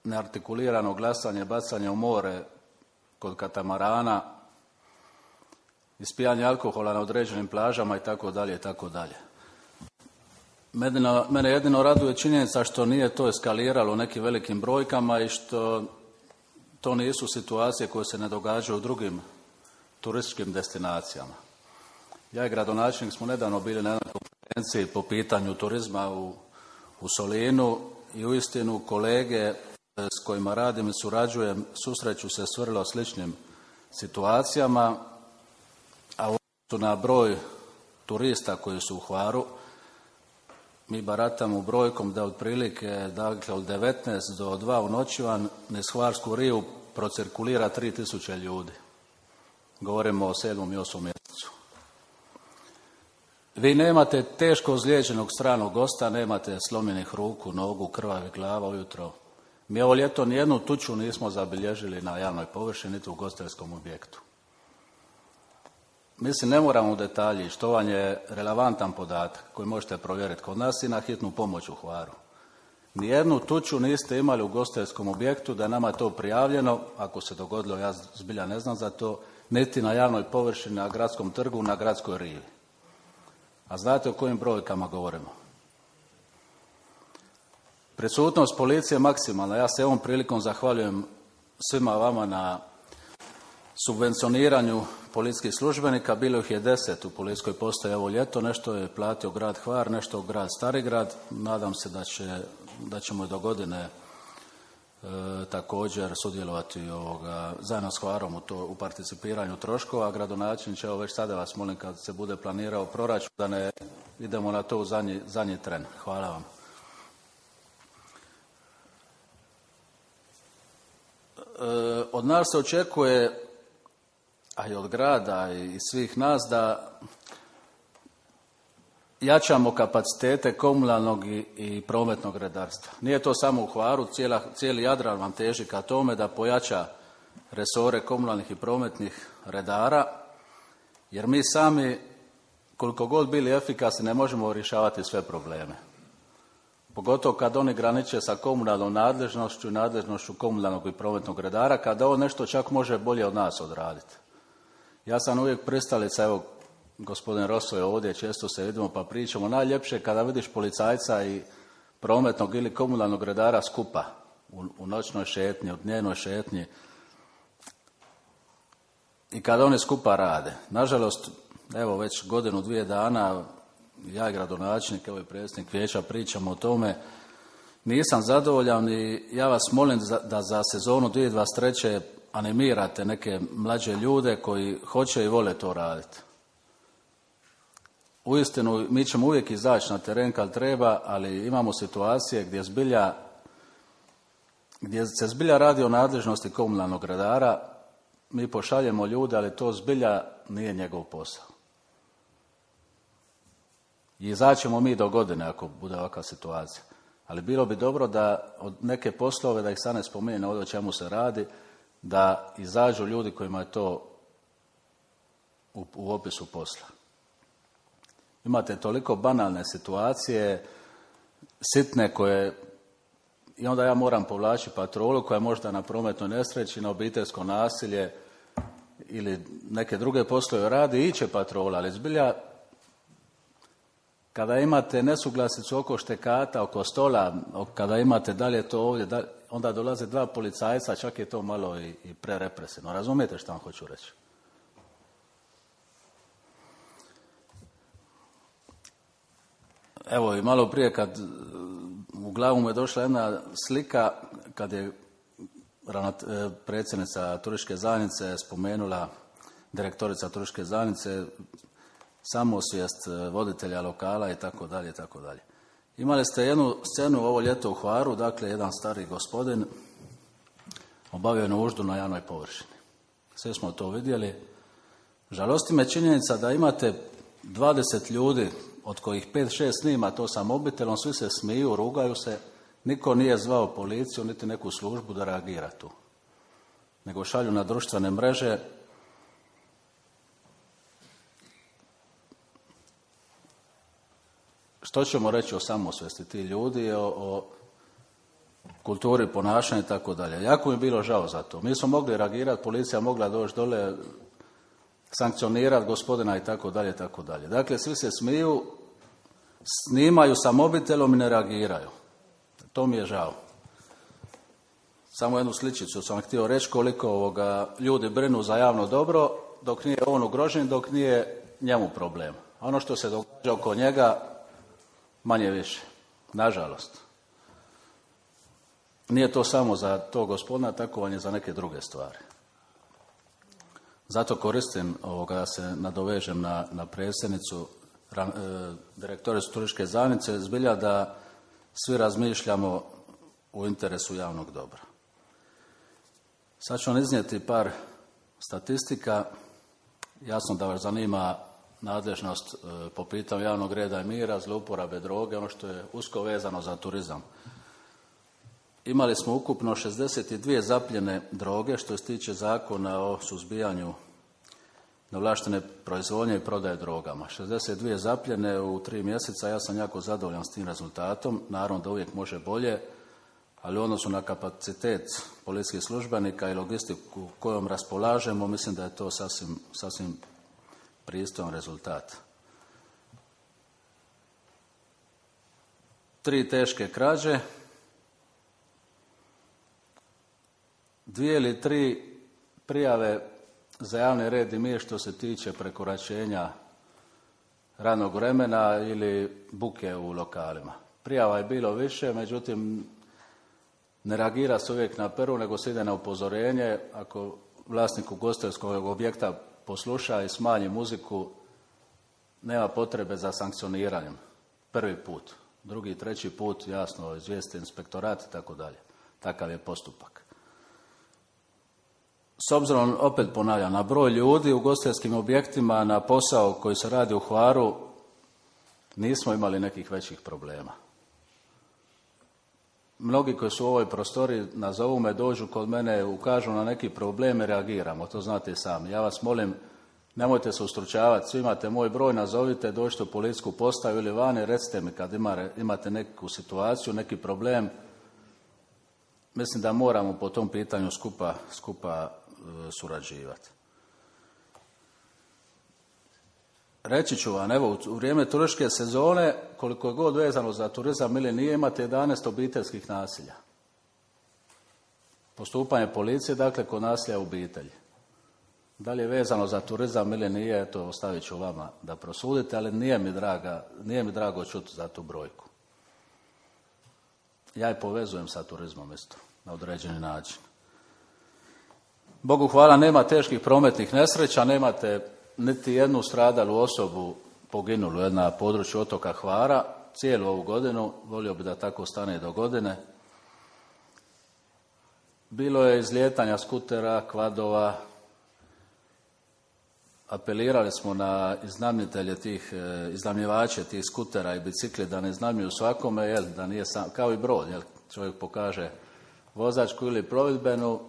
E: neartikulirano glasanje, bacanje u more kod katamarana, ispijanje alkohola na određenim plažama i tako dalje i tako dalje. Mene, mene jedino raduje činjenica što nije to eskaliralo nekim velikim brojkama i što to nisu situacije koje se ne događaju u drugim turističkim destinacijama. Ja i gradonačelnik smo nedavno bili na jednoj konferenciji po pitanju turizma u, u Solinu i uistinu kolege s kojima radim i surađujem susreću se s vrlo sličnim situacijama, a u odnosu na broj turista koji su u Hvaru, mi baratamo brojkom da otprilike, dakle, od devetnaest do dva u noćivan niz Hvarsku Riju procirkulira tri tisuće ljudi. Govorimo o sedmom i osmom mjesecu. Vi nemate teško ozlijeđenog stranog gosta, nemate slomljenih ruku, nogu, krvavih glava ujutro. Mi ovo ljeto nijednu tuču nismo zabilježili na javnoj površini, niti u ugostiteljskom objektu. Mislim, ne moramo u detalji, što vam je relevantan podatak koji možete provjeriti kod nas i na hitnu pomoć u Hvaru. Nijednu tuču niste imali u ugostiteljskom objektu, da je nama to prijavljeno, ako se dogodilo, ja zbilja ne znam za to, niti na javnoj površini, na gradskom trgu, na gradskoj rivi. A znate o kojim brojkama govorimo? Prisutnost policije je maksimalna. Ja se ovom prilikom zahvaljujem svima vama na subvencioniranju policijskih službenika. Bilo ih je deset u policijskoj postaji ovo ljeto. Nešto je platio grad Hvar, nešto grad Starigrad. Nadam se da, će, da ćemo i do godine e, također sudjelovati ovoga, zajedno s Hvarom u, to, u participiranju troškova. Gradonačelniče, evo već sada vas molim kad se bude planirao proračun da ne idemo na to u zadnji, zadnji tren. Hvala vam. Od nas se očekuje, a i od grada i svih nas, da jačamo kapacitete komunalnog i, i prometnog redarstva. Nije to samo u Hvaru, cijela, cijeli Jadran vam teži ka tome da pojača resore komunalnih i prometnih redara, jer mi sami, koliko god bili efikasni, ne možemo rješavati sve probleme. Pogotovo kad oni graniče sa komunalnom nadležnošću i nadležnošću komunalnog i prometnog redara, kada on nešto čak može bolje od nas odraditi. Ja sam uvijek pristalica, evo, gospodin Rosso je ovdje, često se vidimo pa pričamo, najljepše kada vidiš policajca i prometnog ili komunalnog redara skupa u, u noćnoj šetnji, u dnevnoj šetnji i kada oni skupa rade. Nažalost, evo već godinu, dvije dana, ja i gradonačelnik, evo i predsjednik vijeća pričamo o tome, nisam zadovoljan i ja vas molim da za sezonu dvije tisuće dvadeset treće animirate neke mlađe ljude koji hoće i vole to raditi. uistinu mi ćemo uvijek izaći na teren kad treba, ali imamo situacije gdje zbilja gdje se zbilja radi o nadležnosti komunalnog redara, mi pošaljemo ljude, ali to zbilja nije njegov posao. I izaćemo mi do godine ako bude ovakva situacija. Ali bilo bi dobro da od neke poslove, da ih sad ne spominjem ovdje o čemu se radi, da izađu ljudi kojima je to u, u opisu posla. Imate toliko banalne situacije, sitne koje, i onda ja moram povlačiti patrolu koja je možda na prometnoj nesreći, na obiteljsko nasilje ili neke druge poslove radi i iće patrola, ali zbilja kada imate nesuglasicu oko štekata, oko stola, kada imate dalje to ovdje, dalje, onda dolaze dva policajca, čak je to malo i, i prerepresivno. Razumijete što vam hoću reći? Evo i malo prije kad u glavu mu je došla jedna slika kad je predsjednica turističke zajednice spomenula, direktorica turističke zajednice, samosvijest voditelja lokala i tako dalje i tako dalje. Imali ste jednu scenu ovo ljeto u Hvaru, dakle jedan stari gospodin obavio nuždu na javnoj površini. Sve smo to vidjeli. Žalosti me činjenica da imate dvadeset ljudi od kojih pet šest snima to sa mobitelom, svi se smiju, rugaju se, niko nije zvao policiju niti neku službu da reagira tu. Nego šalju na društvene mreže. Što ćemo reći o samosvijesti ti ljudi, o, o kulturi ponašanja i tako dalje. Jako mi je bilo žao za to. Mi smo mogli reagirati, policija mogla doći dole, sankcionirati gospodina i tako dalje, tako dalje. Dakle, svi se smiju, snimaju sa mobitelom i ne reagiraju. To mi je žao. Samo jednu sličicu sam htio reći koliko ovoga ljudi brinu za javno dobro, dok nije on ugrožen, dok nije njemu problem. A ono što se događa oko njega, manje više. Nažalost. Nije to samo za to gospodina, tako vam je za neke druge stvari. Zato koristim ovoga da se nadovežem na, na predsjednicu, e, direktoricu turističke zajednice, zbilja da svi razmišljamo u interesu javnog dobra. Sad ću vam iznijeti par statistika. Jasno da vas zanima nadležnost e, po pitanju javnog reda i mira, zlouporabe droge, ono što je usko vezano za turizam. Imali smo ukupno šezdeset dvije zapljene droge što se tiče zakona o suzbijanju neovlaštene proizvodnje i prodaje drogama. šezdeset dvije zapljene u tri mjeseca, ja sam jako zadovoljan s tim rezultatom. Naravno da uvijek može bolje, ali u odnosu na kapacitet policijskih službenika i logistiku kojom raspolažemo, mislim da je to sasvim, sasvim pristojan rezultat. Tri teške krađe, dvije ili tri prijave za javni red i mir što se tiče prekoračenja radnog vremena ili buke u lokalima. Prijava je bilo više, međutim ne reagira se uvijek na prvu, nego se ide na upozorenje. Ako vlasnik ugostiteljskog objekta posluša i smanji muziku, nema potrebe za sankcioniranjem. Prvi put. Drugi i treći put, jasno, izvijesti inspektorat i tako dalje. Takav je postupak. S obzirom, opet ponavljam, na broj ljudi u ugostiteljskim objektima, na posao koji se radi u Hvaru, nismo imali nekih većih problema. Mnogi koji su u ovoj prostoriji, nazovu me, dođu kod mene, ukažu na neki problem i reagiramo, to znate i sami. Ja vas molim, nemojte se ustručavati, svi imate moj broj, nazovite, dođite u policijsku postaju ili vani, recite mi kad imate neku situaciju, neki problem. Mislim da moramo po tom pitanju skupa, skupa surađivati. Reći ću vam, evo, u vrijeme turističke sezone, koliko je god vezano za turizam ili nije, imate jedanaest obiteljskih nasilja. Postupanje policije, dakle, kod nasilja u obitelji. Da li je vezano za turizam ili nije, to ostavit ću vama da prosudite, ali nije mi, draga, nije mi drago čuti za tu brojku. Ja je povezujem sa turizmom isto, na određeni način. Bogu hvala, nema teških prometnih nesreća, nemate niti jednu stradalu osobu poginulo na području otoka Hvara. Cijelu ovu godinu, volio bi da tako stane do godine. Bilo je izlijetanja skutera, kvadova. Apelirali smo na iznajmitelje tih, iznajmljivače tih skutera i bicikli da ne iznajmljuju svakome, jel, da nije sam, kao i brod, jel, čovjek pokaže vozačku ili plovidbenu,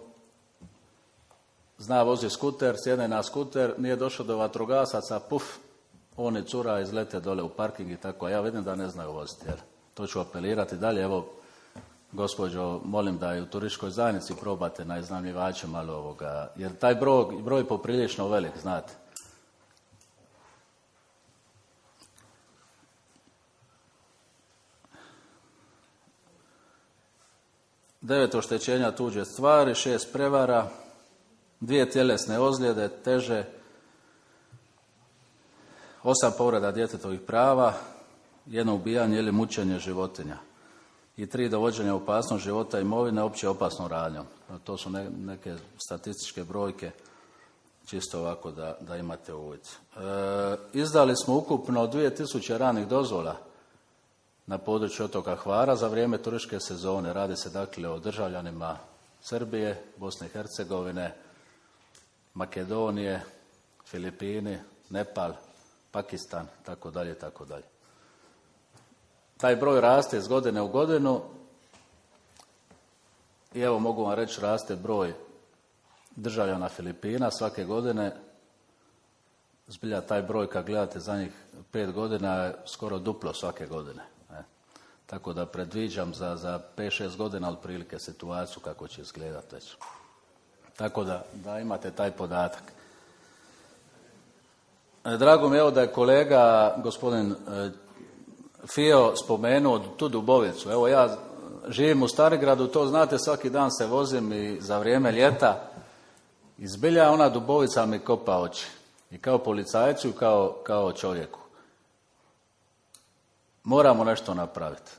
E: zna vozi skuter, sjedne na skuter, nije došao do vatrogasaca, puf, on i cura izlete dole u parking i tako, a ja vidim da ne znaju voziti, jel. To ću apelirati dalje, evo, gospođo, molim da i u turističkoj zajednici probate na iznajmljivače malo ovoga, jer taj broj, broj je poprilično velik, znate. Devet oštećenja tuđe stvari, šest prevara, dvije tjelesne ozljede, teže, osam povreda djetetovih prava, jedno ubijanje ili mučenje životinja i tri dovođenja opasnost života i imovine opće opasnom radnjom. To su ne, neke statističke brojke, čisto ovako da, da imate uvid. E, izdali smo ukupno dvije tisuće ranih dozvola na području otoka Hvara za vrijeme turističke sezone. Radi se dakle o državljanima Srbije, Bosne i Hercegovine, Makedonije, Filipini, Nepal, Pakistan, tako dalje, tako dalje. Taj broj raste iz godine u godinu i evo mogu vam reći raste broj državljana Filipina svake godine. Zbilja taj broj kad gledate zadnjih pet godina je skoro duplo svake godine. Ne? Tako da predviđam za, za pet šest godina otprilike situaciju kako će izgledati već. Tako da, da imate taj podatak. Drago mi je evo da je kolega gospodin Fio spomenuo tu Dubovicu. Evo ja živim u Starigradu, to znate, svaki dan se vozim i za vrijeme ljeta. I zbilja ona Dubovica mi kopa oči. I kao policajcu i kao, kao čovjeku. Moramo nešto napraviti.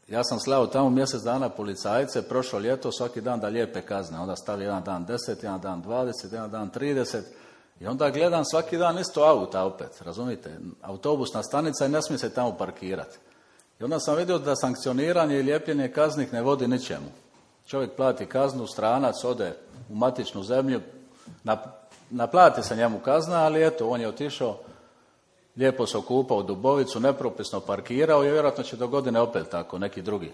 E: Ja sam slao tamo mjesec dana policajce, prošlo ljeto, svaki dan da lijepe kazne. Onda stavi jedan dan deset, jedan dan dvadeset, jedan dan trideset. I onda gledam svaki dan isto auta opet, razumijete? Autobusna stanica i ne smije se tamo parkirati. I onda sam vidio da sankcioniranje i lijepljenje kaznih ne vodi ničemu. Čovjek plati kaznu, stranac ode u matičnu zemlju, naplati se njemu kazna, ali eto, on je otišao, lijepo se okupao u Dubovicu, nepropisno parkirao i vjerojatno će do godine opet tako, neki drugi.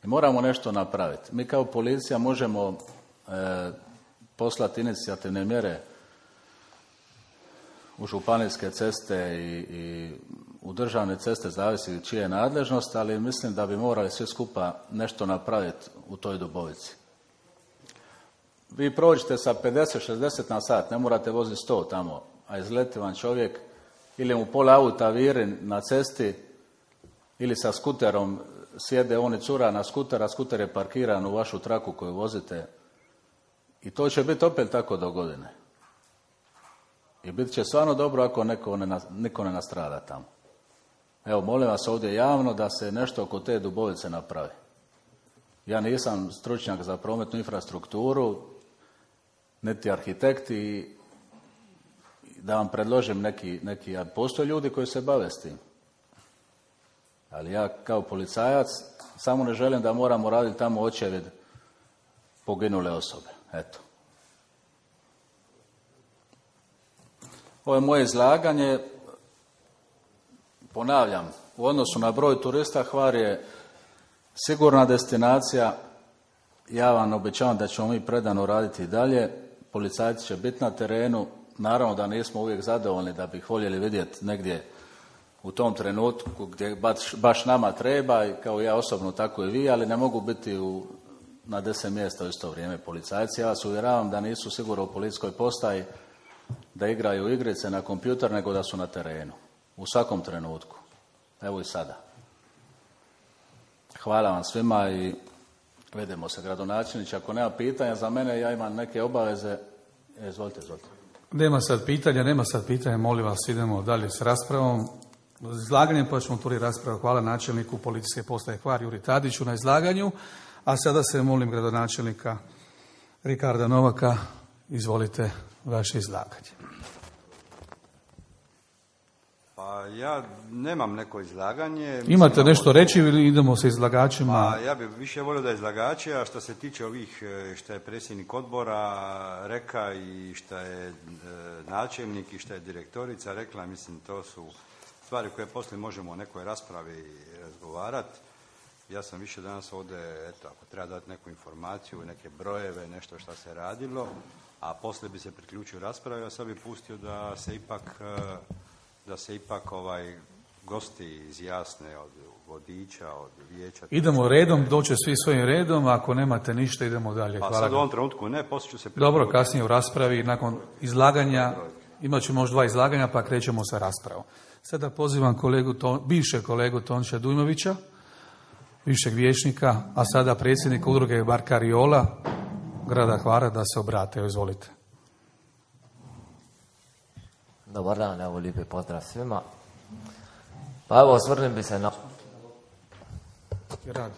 E: I moramo nešto napraviti. Mi kao policija možemo e, poslati inicijativne mjere u županijske ceste i, i u državne ceste, zavisi čije je nadležnost, ali mislim da bi morali svi skupa nešto napraviti u toj Dubovici. Vi prođete sa pedeset šezdeset na sat, ne morate voziti sto tamo, a izleti vam čovjek ili mu pola auta viri na cesti ili sa skuterom sjede on i cura na skuter, a skuter je parkiran u vašu traku koju vozite i to će biti opet tako do godine. I bit će stvarno dobro ako neko ne, niko ne nastrada tamo. Evo, molim vas ovdje javno da se nešto oko te Dubovice napravi. Ja nisam stručnjak za prometnu infrastrukturu, niti arhitekt i da vam predložim neki, neki, a postoje ljudi koji se bave s tim. Ali ja kao policajac samo ne želim da moramo raditi tamo očevid poginule osobe. Eto. Ovo je moje izlaganje. Ponavljam, u odnosu na broj turista Hvar je sigurna destinacija. Ja vam obećavam da ćemo mi predano raditi i dalje. Policajci će biti na terenu. Naravno da nismo uvijek zadovoljni, da bi ih voljeli vidjeti negdje u tom trenutku gdje baš, baš nama treba, i kao ja osobno tako i vi, ali ne mogu biti u, na deset mjesta u isto vrijeme policajci. Ja vas uvjeravam da nisu sigurno u policijskoj postaji da igraju igrice na kompjuter, nego da su na terenu. U svakom trenutku. Evo i sada. Hvala vam svima i vidimo se, gradonačelniče. Ako nema pitanja za mene, ja imam neke obaveze. E, izvolite, izvolite.
A: Nema sad pitanja, nema sad pitanja, molim vas, idemo dalje s raspravom. Izlaganjem pa ćemo otvoriti raspravu. Hvala načelniku policijske postaje Hvar Juri Tadiću na izlaganju, a sada se molim gradonačelnika Rikarda Novaka, izvolite vaše izlaganje.
F: Pa ja nemam neko izlaganje.
A: Imate
F: Mislim,
A: nešto reći ili idemo sa izlagačima?
F: Pa ja bih više volio da izlagači, a što se tiče ovih što je predsjednik odbora reka i što je e, načelnik i što je direktorica rekla, mislim to su stvari koje poslije možemo u nekoj raspravi razgovarati. Ja sam više danas ovdje, eto, ako treba dati neku informaciju, neke brojeve, nešto što se radilo, a poslije bi se priključio raspravi, a sad bi pustio da se ipak, da se ipak ovaj, gosti izjasne od vodiča, od vijeća.
A: Idemo redom, doće svi svojim redom, ako nemate ništa idemo dalje.
F: Pa
A: Hvala.
F: sad u ovom trenutku ne, poslije ću se priključiti.
A: Dobro, kasnije u raspravi, nakon izlaganja, imat ćemo još dva izlaganja, pa krećemo sa raspravom. Sada pozivam kolegu, bivšeg kolegu Tončija Dujmovića, bivšeg vijećnika, a sada predsjednika udruge Barkariola grada Hvara da se obrate. Izvolite.
G: Dobar dan, evo lijepi pozdrav svima. Pa evo, osvrnim bi se na...
A: Radi.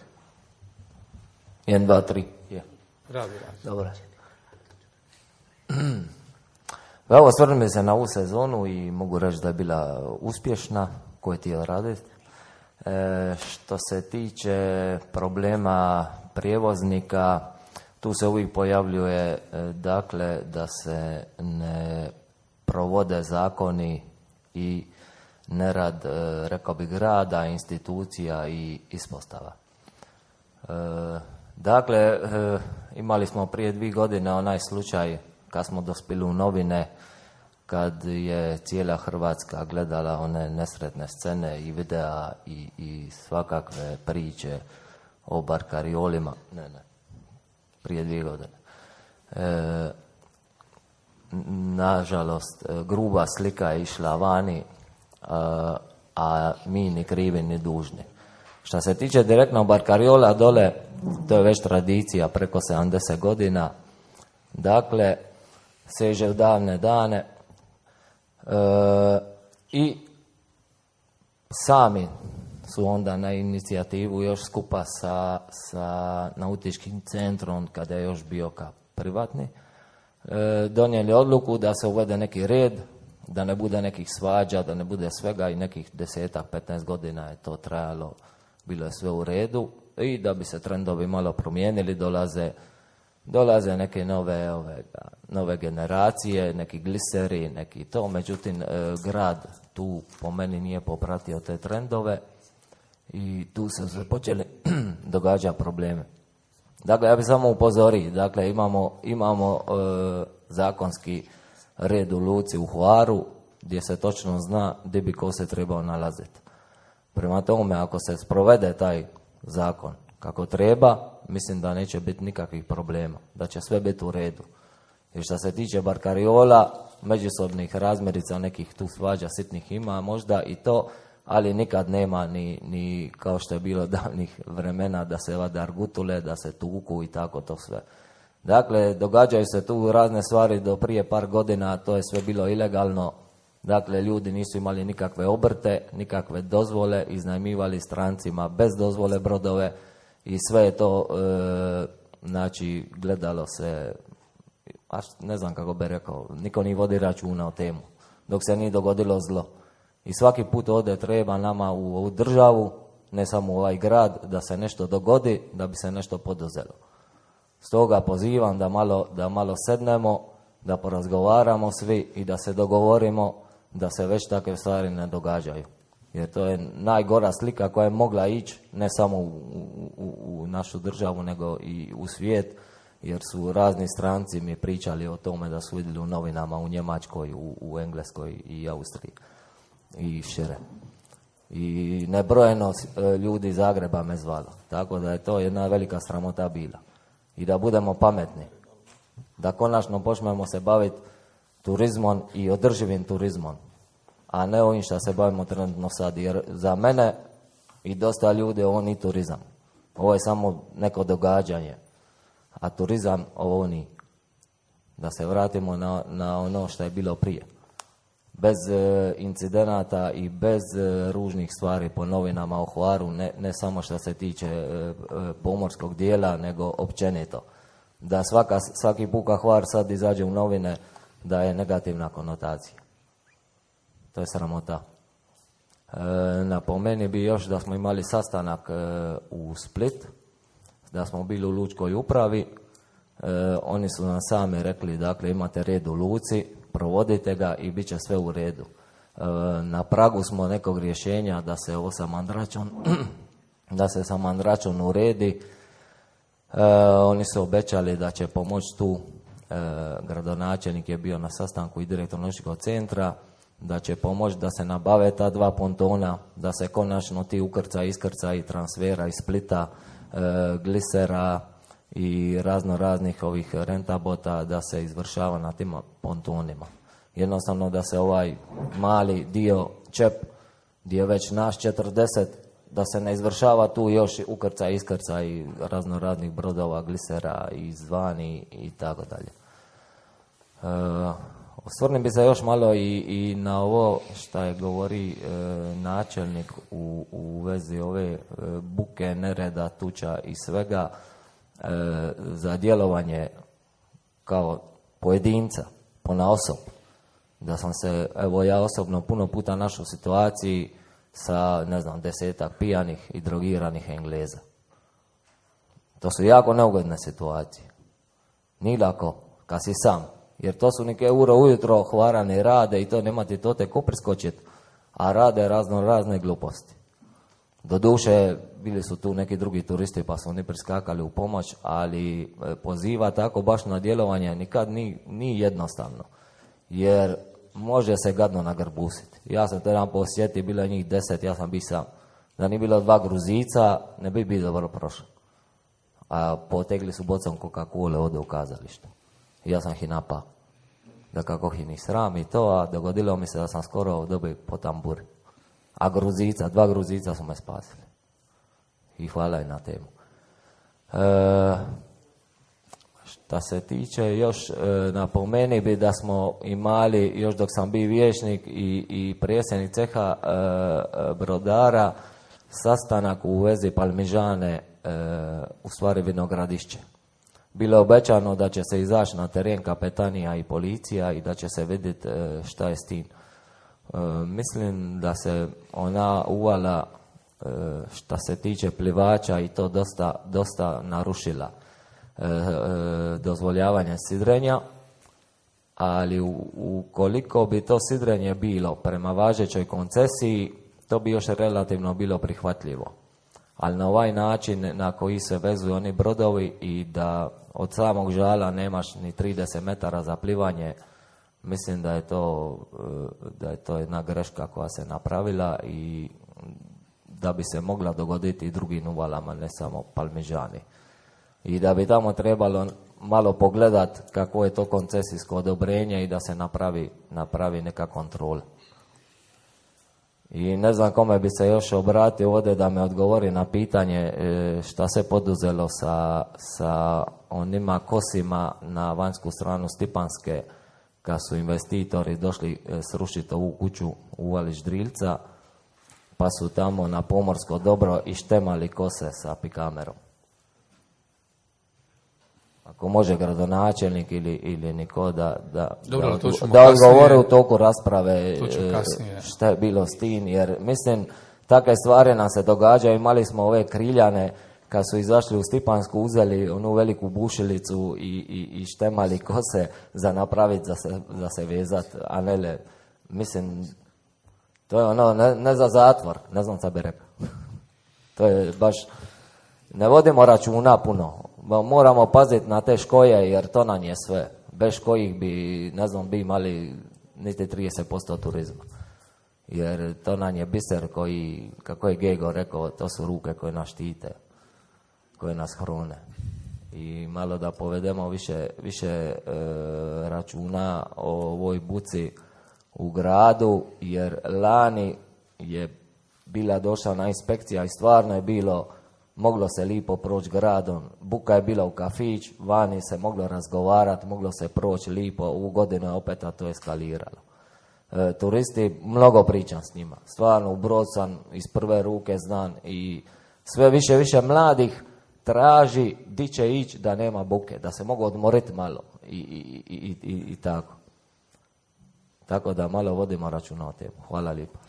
G: jedan, dva, tri. Je.
A: Radi, radi.
G: Dobro. Pa evo, osvrnim bi se na ovu sezonu i mogu reći da je bila uspješna, koju je htio raditi. E, što se tiče problema prijevoznika, tu se uvijek pojavljuje dakle da se ne provode zakoni i nerad, rekao bih, grada, institucija i ispostava. E, dakle, e, imali smo prije dvije godine onaj slučaj kad smo dospjeli u novine, kad je cijela Hrvatska gledala one nesretne scene i videa i, i svakakve priče o barkariolima. Ne, ne, prije dvije godine. E, nažalost, gruba slika je išla vani, a, a mi ni krivi ni dužni. Što se tiče direktno barkariola dole, to je već tradicija preko sedamdeset godina. Dakle, seže u davne dane. E, i sami su onda na inicijativu još skupa sa, sa nautičkim centrom, kada je još bio kao privatni, e, donijeli odluku da se uvede neki red, da ne bude nekih svađa, da ne bude svega, i nekih desetak, petnaest godina je to trajalo, bilo je sve u redu, i da bi se trendovi malo promijenili, dolaze Dolaze neke nove, ove, nove generacije, neki gliseri, neki to, međutim, e, grad tu po meni nije popratio te trendove i tu su se počeli događati probleme. Dakle, ja bih samo upozorio, dakle, imamo, imamo e, zakonski red u luci u Hvaru, gdje se točno zna gdje bi ko se trebao nalaziti. Prema tome, ako se sprovede taj zakon kako treba, mislim da neće biti nikakvih problema, da će sve biti u redu. I što se tiče barkariola, međusobnih razmirica, nekih tu svađa sitnih ima možda i to, ali nikad nema ni, ni kao što je bilo davnih vremena da se vade argutule, da se tuku i tako to sve. Dakle, događaju se tu razne stvari do prije par godina, to je sve bilo ilegalno. Dakle, ljudi nisu imali nikakve obrte, nikakve dozvole, iznajmivali strancima bez dozvole brodove i sve je to, e, znači, gledalo se, a ne znam kako bi rekao, niko nije vodi računa o temu, dok se nije dogodilo zlo. I svaki put ovdje treba nama u ovu državu, ne samo u ovaj grad, da se nešto dogodi, da bi se nešto poduzelo. Stoga pozivam da malo, da malo sednemo, da porazgovaramo svi i da se dogovorimo da se već takve stvari ne događaju. Jer to je najgora slika koja je mogla ići ne samo u, u, u našu državu, nego i u svijet, jer su razni stranci mi pričali o tome da su vidjeli u novinama u Njemačkoj, u, u Engleskoj i Austriji i šire. I nebrojeno ljudi iz Zagreba me zvalo. Tako da je to jedna velika sramota bila. I da budemo pametni. Da konačno počnemo se baviti turizmom i održivim turizmom, a ne ovim što se bavimo trenutno sad. Jer za mene i dosta ljudi ovo nije turizam. Ovo je samo neko događanje. A turizam ovo nije. Da se vratimo na, na ono što je bilo prije. Bez e, incidenata i bez e, ružnih stvari po novinama o Hvaru, ne, ne samo što se tiče e, e, pomorskog dijela, nego općenito. Da svaka, svaki puka Hvar sad izađe u novine da je negativna konotacija. To je sramota. Napomeni bi još da smo imali sastanak u Split, da smo bili u lučkoj upravi. Oni su nam sami rekli, dakle, imate red u luci, provodite ga i bit će sve u redu. Na pragu smo nekog rješenja da se ovo sa mandračom da se sa mandračom uredi. Oni su obećali da će pomoći tu. Gradonačelnik je bio na sastanku i direktor nautičkog centra, da će pomoći da se nabave ta dva pontona, da se konačno ti ukrcaj, iskrcaj transfera iz Splita, e, glisera i razno raznih ovih rentabota da se izvršava na tim pontonima. Jednostavno da se ovaj mali dio čep gdje je već naš četrdeset, da se ne izvršava tu još ukrcaj, iskrcaj razno raznih brodova, glisera i izvani i tako dalje. Osvrnim bi se još malo i, i na ovo što je govori e, načelnik u, u vezi ove e, buke, nereda, tuča i svega e, za djelovanje kao pojedinca, ponaosob. Da sam se, evo ja osobno puno puta našao u situaciji sa, ne znam, desetak pijanih i drogiranih Engleza. To su jako neugodne situacije. Nije lako kad si sam. Jer to su neke uro ujutro hvarane rade i to nema ti to te ko priskočit, a rade razno razne gluposti. Doduše, bili su tu neki drugi turisti pa su oni priskakali u pomoć, ali poziva tako baš na djelovanje nikad ni, ni jednostavno. Jer može se gadno nagrbusiti. Ja sam to jedan posjetio, bilo je njih deset, ja sam bi sam. Da nije bilo dva Gruzica, ne bi bilo dobro prošlo. A potegli su bocom Coca-Cola ovdje u kazalištu. Ja sam ih napao. Da kako ih ni sram i to, a dogodilo mi se da sam skoro dobio po tamburi. A Gruzica, dva Gruzica su me spasili. I hvala i na temu. E, šta se tiče još, e, napomeni bi da smo imali, još dok sam bio vijećnik i, i predsjednik ceha e, brodara, sastanak u vezi Palmižane, e, u stvari Vinogradišće. Bilo je obećano da će se izaći na teren kapetanija i policija i da će se vidjeti šta je s tim. E, mislim da se ona uvala e, šta se tiče plivača i to dosta, dosta narušila e, e, dozvoljavanje sidrenja, ali u, ukoliko bi to sidrenje bilo prema važećoj koncesiji, to bi još relativno bilo prihvatljivo. Ali na ovaj način na koji se vezuju oni brodovi i da od samog žala nemaš ni trideset metara za plivanje, mislim da je to, da je to jedna greška koja se napravila i da bi se mogla dogoditi i drugim uvalama, ne samo Palmižani. I da bi tamo trebalo malo pogledat kako je to koncesijsko odobrenje i da se napravi, napravi neka kontrola. I ne znam kome bi se još obratio ovdje da me odgovori na pitanje šta se poduzelo sa, sa onima kosima na vanjsku stranu Stipanske kad su investitori došli srušiti ovu kuću u Uvalić Drilca pa su tamo na pomorsko dobro i štemali kose sa pikamerom. Ako može gradonačelnik ili, ili niko da, da,
A: Dobro,
G: da, da odgovore u toku rasprave šta je bilo s tim, jer mislim takve stvari nam se događaju. Imali smo ove kriljane kad su izašli u Stipansku, uzeli onu veliku bušilicu i, i, i štemali kose za napraviti, za se, za se vezat, a ne le, mislim, to je ono, ne, ne za zatvor, ne znam šta bi rekao. To je baš, ne vodimo računa puno. Moramo paziti na te škoje jer to nam je sve. Bez kojih bi, ne znam, bi imali niti trideset posto turizma. Jer to nam je biser koji, kako je Gego rekao, to su ruke koje nas štite, koje nas hrune. I malo da povedemo više, više e, računa o ovoj buci u gradu, jer lani je bila došla na inspekcija i stvarno je bilo, moglo se lipo proći gradom, buka je bila u kafić, vani se moglo razgovarati, moglo se proći lipo, u godinu je opet to eskaliralo. E, turisti, mnogo pričam s njima, stvarno u Brod sam iz prve ruke znam i sve više više mladih traži di će ići da nema buke, da se mogu odmoriti malo i, i, i, i, i tako. Tako da malo vodimo računa o temu. Hvala lijepo.